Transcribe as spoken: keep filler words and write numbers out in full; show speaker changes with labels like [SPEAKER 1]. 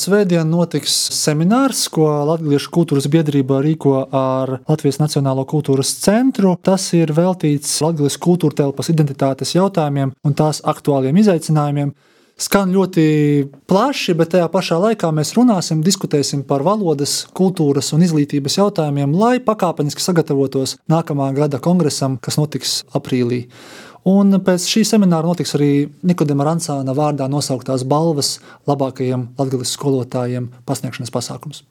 [SPEAKER 1] svētdien notiks seminārs, ko Latviešu kultūras biedrība rīko ar Latvijas Nacionālo kultūras centru. Tas ir veltīts Latvijas kultūra telpas identitātes jautājumiem un tās aktuāliem izaicinājumiem. Skan ļoti plaši, bet tajā pašā laikā mēs runāsim, diskutēsim par valodas, kultūras un izglītības jautājumiem, lai pakāpeniski sagatavotos nākamā gada kongresam, kas notiks aprīlī. Un pēc šī semināra notiks arī Nikodema Rancāna vārdā nosauktās balvas labākajiem latgales skolotājiem pasniegšanas pasākums.